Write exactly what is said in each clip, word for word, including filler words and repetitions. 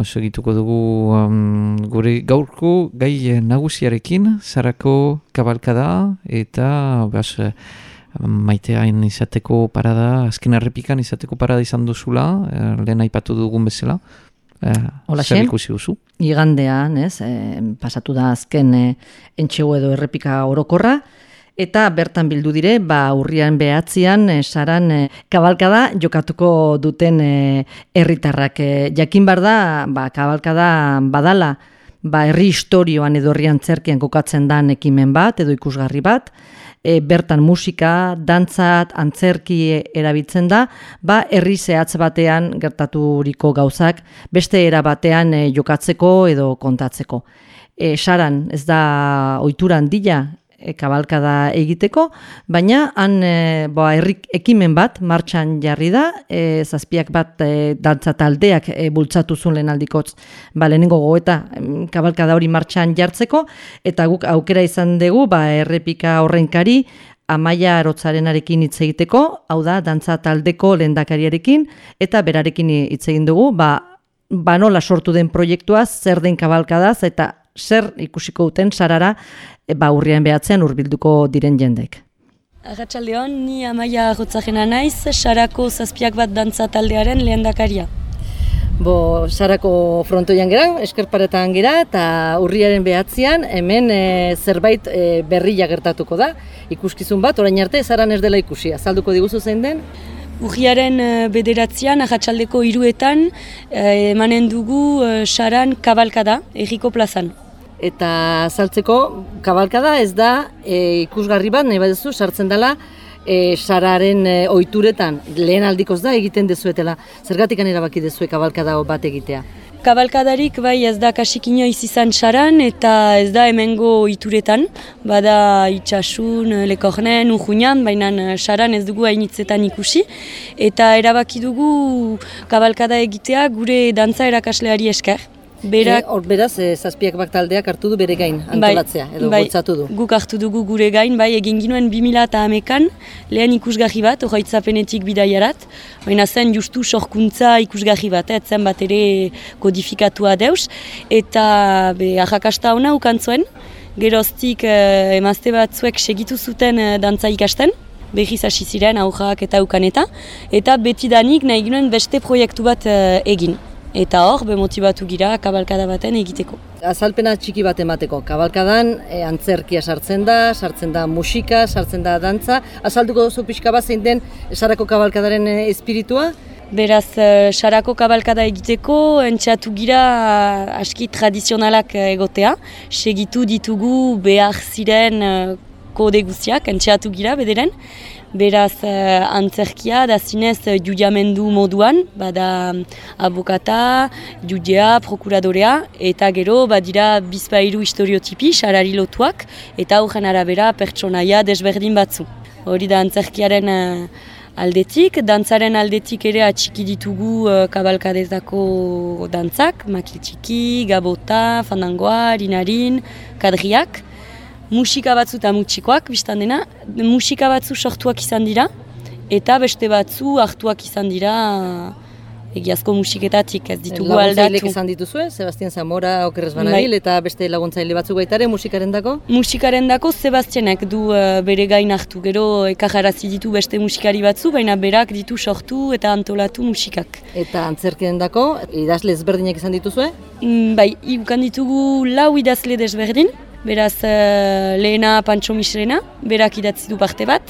Segituko dugu um, gure gaurko gai nagusiarekin, Sarako kabalkada eta bas, maiteain izateko parada, azken errepikan izateko parada izan duzula, eh, lehen aipatu dugun bezala. Eh, zer ikusi duzu? Igandean, ez, eh, pasatu da azken eh, entxego edo errepika orokorra, eta bertan bildu dire, ba, urrian behatzian, e, saran e, kabalkada jokatuko duten herritarrak. E, jakin bar da, ba, kabalkada badala, ba, herri historioan edo herri antzerkian kokatzen dan ekimen bat, edo ikusgarri bat, e, bertan musika, dantzat, antzerki erabiltzen da, ba, herri zehatz batean gertaturiko gauzak, beste era batean e, jokatzeko edo kontatzeko. E, saran, ez da ohitura handia, E, kabalkada egiteko, baina han e, boa, herrik ekimen bat martxan jarri da, e, zazpiak bat e, dantza taldeak e, bultzatu zuen lehen aldikotz, ba, lehenengo goeta kabalkada hori martxan jartzeko, eta guk aukera izan dugu, ba, errepika horrenkari, Amaia Arotzarenarekin hitz egiteko, hau da, dantza taldeko lehendakariarekin, eta berarekin hitz egin dugu, ba, ba nola sortu den proiektuaz, zer den kabalkadaz, eta zer ikusiko duten sarara ba urrian behatzean hurbilduko diren jendek. Arratsaldeon, ni Amaia Arotzareena naiz, Sarako zazpiak bat dantza taldearen lehendakaria. Bo, Sarako frontoian gera, eskerparetan gera, eta urriaren behatzean hemen e, zerbait e, berria gertatuko da. Ikuskizun bat, orain arte, Saran ez dela ikusi. Azalduko diguzu zein den? Urriaren bederatzean, arratsaldeko hiruetan, emanen dugu Saran kabalkada, herriko plazan. Eta saltzeko kabalkada ez da e, ikusgarri bat, nahi baduzu, sartzen dela e, Sararen e, ohituretan, lehen aldikoz da egiten dezuetela. Zergatikan erabaki dezue kabalkada bat egitea? Kabalkadarik bai ez da kasik inoiz izan Saran eta ez da hemengo ohituretan, bada Itxasun, Lekornen, Urruñan, baina Saran ez dugu hainitzetan ikusi, eta erabaki dugu kabalkada egitea gure dantza erakasleari esker. Berak, e, or, beraz, e, zazpiak bat taldeak hartu du bere gain antolatzea, bai, edo bai, bultzatu du. Guk hartu dugu gure gain, bai, egin ginuen bi mila hamekan lehen ikusgarri bat, horaitzapenetik bidaiarat, baina zen justu sorkuntza ikusgarri bat, eh, zen bat ere kodifikatua deus, eta be, arrakasta hona ukantzuen, geroztik eh, emazte batzuek segitu zuten eh, dantza ikasten, behiz hasi ziren aurrak eta ukaneta, eta betidanik nahi ginuen beste proiektu bat eh, egin. Eta hor, bemotibatu gira kabalkada baten egiteko. Azalpena txiki bat emateko. Kabalkadan e, antzerkia sartzen da, sartzen da musika, sartzen da dantza. Azalduko duzu pixka bat zein den Sarako kabalkadaren e, espiritua? Beraz, Sarako kabalkada egiteko, entxeatu gira aski tradizionalak egotea. Segitu ditugu behar ziren kode guztiak, entxeatu gira bederen. Beraz, eh, antzerkia da zinez judiamendu moduan, bada abokata, judea, prokuradorea, eta gero badira bizpahiru historiotipi, sarari lotuak, eta horren arabera pertsonaia desberdin batzu. Hori da antzerkiaren eh, aldetik, dantzaren aldetik ere atxiki ditugu eh, kabalkadetako dantzak, makiltxiki, gabota, fandangoa, rinarin, kadriak, musika batzu eta mutxikoak, biztan dena, musika batzu sortuak izan dira, eta beste batzu hartuak izan dira egiazko musiketatik, ez ditugu aldatu. Laguntzailek izan dituzue, Sebastian Zamora, Okerrez Banabil, eta beste laguntzaile batzuk baitare musikaren dako? Musikaren dako Sebastianek du uh, bere gain hartu, gero ekajarazi ditu beste musikari batzu, baina berak ditu sortu eta antolatu musikak. Eta antzerkien dako, idazle ezberdinak izan dituzue? Mm, bai, ibukan ditugu lau idazle desberdin. Beraz, uh, lehena Pantxo Misrena, berak idatzi du parte bat,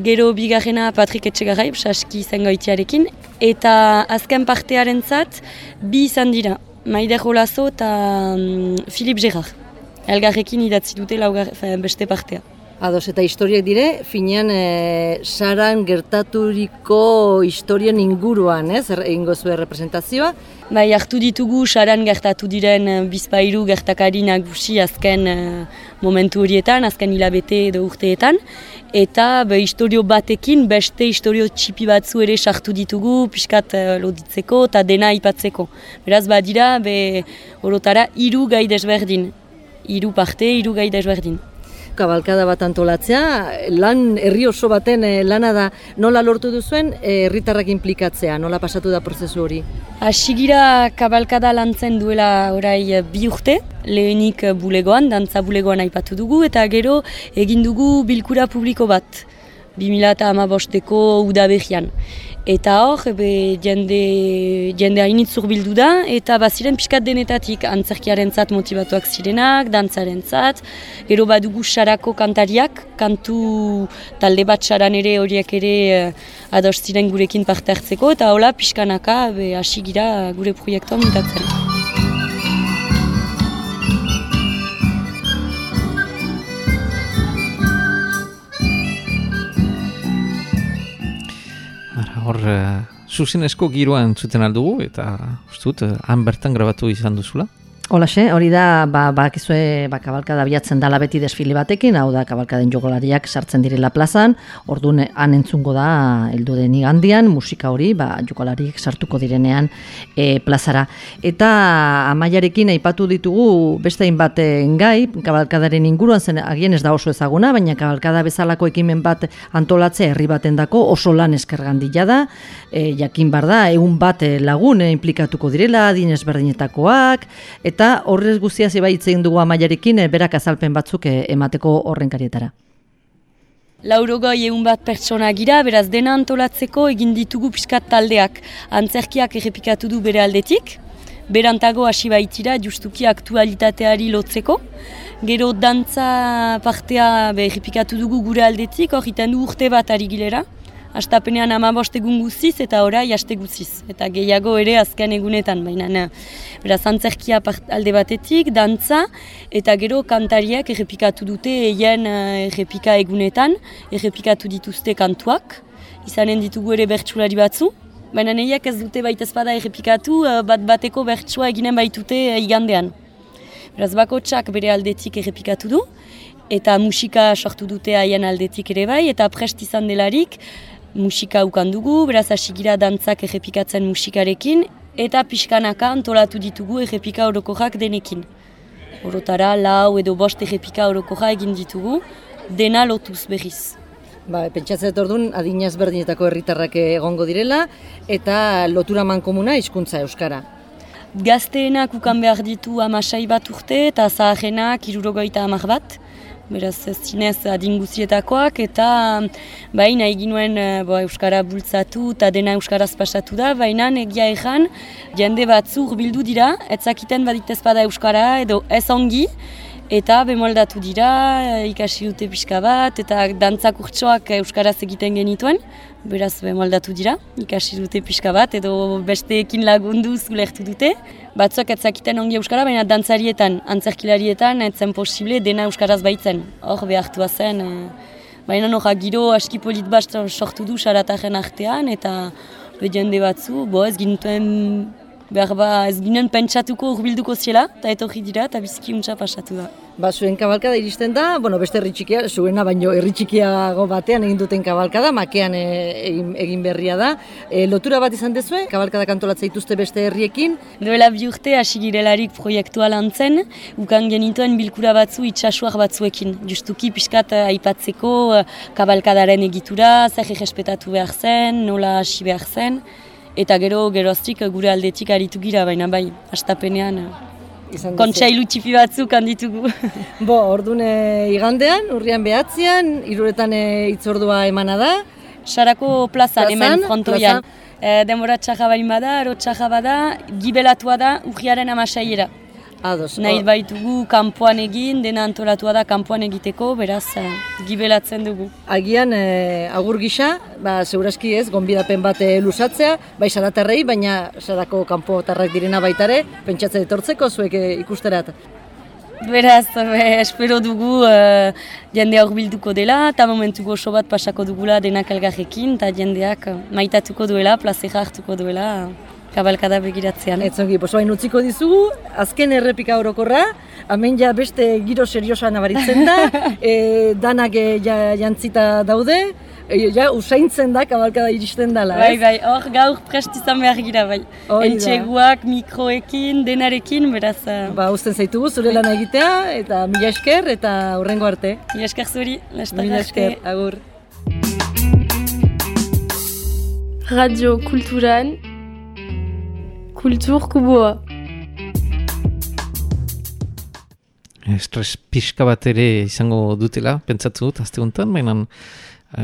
gero bigarrena Patrik Etxegarai, saski zengoitiarekin, eta azken partearen zat, bi izan dira, Maider Olazo eta um, Philippe Gerard. Elgarrekin idatzi dute laugar, beste partea. Ados, eta historiak dire, finean e, Saran gertaturiko historien inguruan, ez, egingo zuen representazioa? Bai, hartu ditugu Saran gertatu diren bizpahiru gertakari nagusi azken uh, momentu horietan, azken hilabete edo urteetan, eta be, historio batekin beste historio txipi batzu ere sartu ditugu, pixkat uh, loditzeko eta dena aipatzeko. Beraz, badira, be, orotara hiru gai desberdin, hiru parte, hiru gai desberdin. kabalkada bat antolatzea, lan herri oso baten lana da, nola lortu duzuen herritarrak inplikatzea, nola pasatu da prozesu hori? Asigira kabalkada lantzen duela orai bi urte, lehenik bulegoan, dantza bulegoan aipatu dugu, eta gero egin dugu bilkura publiko bat, bi mila hamabosteko udaberrian. Eta hor, be, jende, jende hainitz zurbildu da, eta baziren pixkat denetatik antzerkiarentzat motibatuak zirenak, dantzarentzat, gero badugu sarako kantariak, kantu talde bat saran ere horiek ere ados ziren gurekin parte hartzeko, eta hola pixkanaka hasi gira gure proiektua muntatzen. Hor, uh, zuzenezko giroan zuten aldugu, eta ustut, uh, han bertan grabatu izan duzula. Holaxe, hori da, ba, bakizue, ba, kabalkada biatzen dala beti desfile batekin, hau da, kabalkaden jogolariak sartzen direla plazan, orduan han entzungo da, heldu den igandian, musika hori, ba, jogolariak sartuko direnean e, plazara. Eta Amaiarekin aipatu ditugu beste hainbat gai, kabalkadaren inguruan zen, agian ez da oso ezaguna, baina kabalkada bezalako ekimen bat antolatzea herri batendako oso lan eskergandila da, e, jakin bar da, egun bat lagun e, implikatuko direla, adin ezberdinetakoak, eta Eta horrez guztia zeba hitzein dugu Amaiarekin, berak azalpen batzuk emateko horrenkarietara. Laurogoi egun bat pertsona gira, beraz dena antolatzeko egin ditugu pixkat taldeak. Antzerkiak errepikatu du bere aldetik, berantago hasi baitira justuki aktualitateari lotzeko. Gero dantza partea errepikatu dugu gure aldetik, hor iten du urte bat ari gilera. Astapenean hamabost egun guziz eta orai haste guziz. Eta gehiago ere azken egunetan, baina beraz antzerkia alde batetik, dantza, eta gero kantariak errepikatu dute eien errepika egunetan, errepikatu dituzte kantuak, izanen ditugu ere bertsulari batzu, baina nahiak ez dute baita ezpada errepikatu, bat bateko bertsua eginen baitute igandean. Beraz bakotsak bere aldetik errepikatu du, eta musika sortu dute haien aldetik ere bai, eta prest izan delarik, musika ukan dugu, beraz hasigira dantzak errepikatzen musikarekin, eta pixkanaka antolatu ditugu errepika orokorrak denekin. Orotara, lau edo bost errepika orokorra egin ditugu, dena lotuz berriz. Ba, pentsatzen orduan adinaz berdinetako herritarrak egongo direla, eta lotura mankomuna hizkuntza euskara. Gazteenak ukan behar ditu hamasei bat urte, eta zaharenak hirurogeita hamar bat. Beraz, zinez adinguzietakoak, eta baina eginuen bo, euskara bultzatu eta dena euskaraz pasatu da, baina egia egan jende batzu hurbildu dira, etzakiten baditez bada euskara edo ez ongi, eta bemoldatu dira, ikasi dute pixka bat, eta dantzak urtsoak euskaraz egiten genituen, beraz bemoldatu dira, ikasi dute pixka bat, edo besteekin lagundu zulertu dute. Batzuk etzakiten ongi euskara, baina dantzarietan, antzerkilarietan, etzen posible dena euskaraz baitzen. Hor behartua zen, baina noja giro aski polit bat sortu du sarataren artean, eta jende batzu, bo ez ginuten behar ba ez ginen pentsatuko hurbilduko ziela, eta etorri dira, eta biziki untsa pasatu da. Ba, zuen kabalkada iristen da, bueno, beste herri txikia, zuena baino herri txikiago batean egin duten kabalkada, makean e, egin, egin berria da. E, lotura bat izan dezue, kabalkada kantolatza dituzte beste herriekin? Duela bi urte hasi girelarik proiektua lantzen, ukan genituen bilkura batzu itxasuak batzuekin. Justuki pixkat aipatzeko kabalkadaren egitura, zer errespetatu behar zen, nola hasi behar zen, eta gero geroztik gure aldetik aritu gira, baina bai, astapenean kontsailu txipi batzuk handitugu. Bo, ordune igandean, urrian behatzean, hiruretan hitzordua emana da. Sarako plazan, hemen frontoian. E, denbora txaja bain bada, aro txaja bada, gibelatua da urriaren amasaiera. Ados. Nahi baitugu kanpoan egin, dena antolatua da kanpoan egiteko, beraz gibelatzen dugu. Agian e, agur gisa, ba, segurazki ez, gonbidapen bat e, lusatzea, bai saratarrei, baina sarako kanpotarrak direna baitare, pentsatzen etortzeko zuek e, ikusterat. Beraz, be, espero dugu e, jendea hurbilduko dela, eta momentu gozo bat pasako dugula denak elgarrekin, eta jendeak maitatuko duela, plazera hartuko duela. kabalkada begiratzean. Etzongi, posoain utziko dizugu, azken errepika orokorra, hemen ja beste giro seriosa nabaritzen da, e, danak e, ja, jantzita daude, e, ja usaintzen da kabalkada iristen dela, ez? Bai, bai, hor gaur prest izan behar gira, bai. Entxeguak, mikroekin, denarekin, beraz... Ba, usten zaitugu, zure lana egitea, eta mila esker, eta hurrengo arte. Mila esker zuri, lastak Mila esker, agur. Radio Kulturan, Kultur Kuboa. Estres pixka bat ere izango dutela, pentsatu dut, azte honetan, baina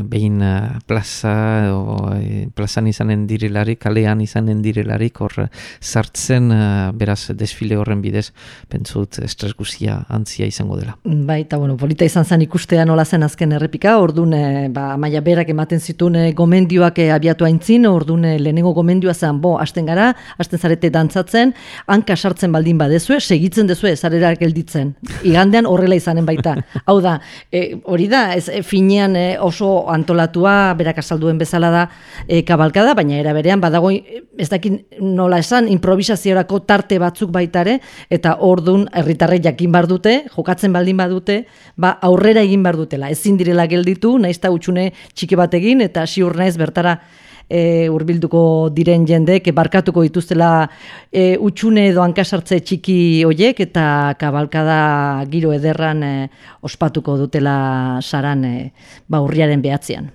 behin uh, plaza, o, e, plazan izanen direlarik, kalean izanen direlarik, hor sartzen, uh, beraz, desfile horren bidez, pentsut estres guzia antzia izango dela. Bai, eta bueno, polita izan zen ikustea nola zen azken errepika, orduan, e, ba, Amaia berak ematen zituen e, gomendioak e, abiatu aintzin, orduan e, lehenengo gomendioa zen, bo, hasten gara, hasten zarete dantzatzen, hanka sartzen baldin badezue, segitzen dezue, zarera gelditzen. Igandean horrela izanen baita. Hau da, e, hori da, ez, e, finean e, oso antolatua, berak azalduen bezala da e, kabalkada, baina era berean badago ez dakin nola esan improvisaziorako tarte batzuk baitare, eta ordun herritarrek jakin bar dute, jokatzen baldin badute, ba aurrera egin bar dutela. Ezin direla gelditu, naizta hutsune txiki bat egin eta ziur naiz bertara e, hurbilduko diren jendek barkatuko dituztela e, hutsune edo hankasartze txiki hoiek eta kabalkada giro ederran e, ospatuko dutela saran e, ba urriaren behatzean.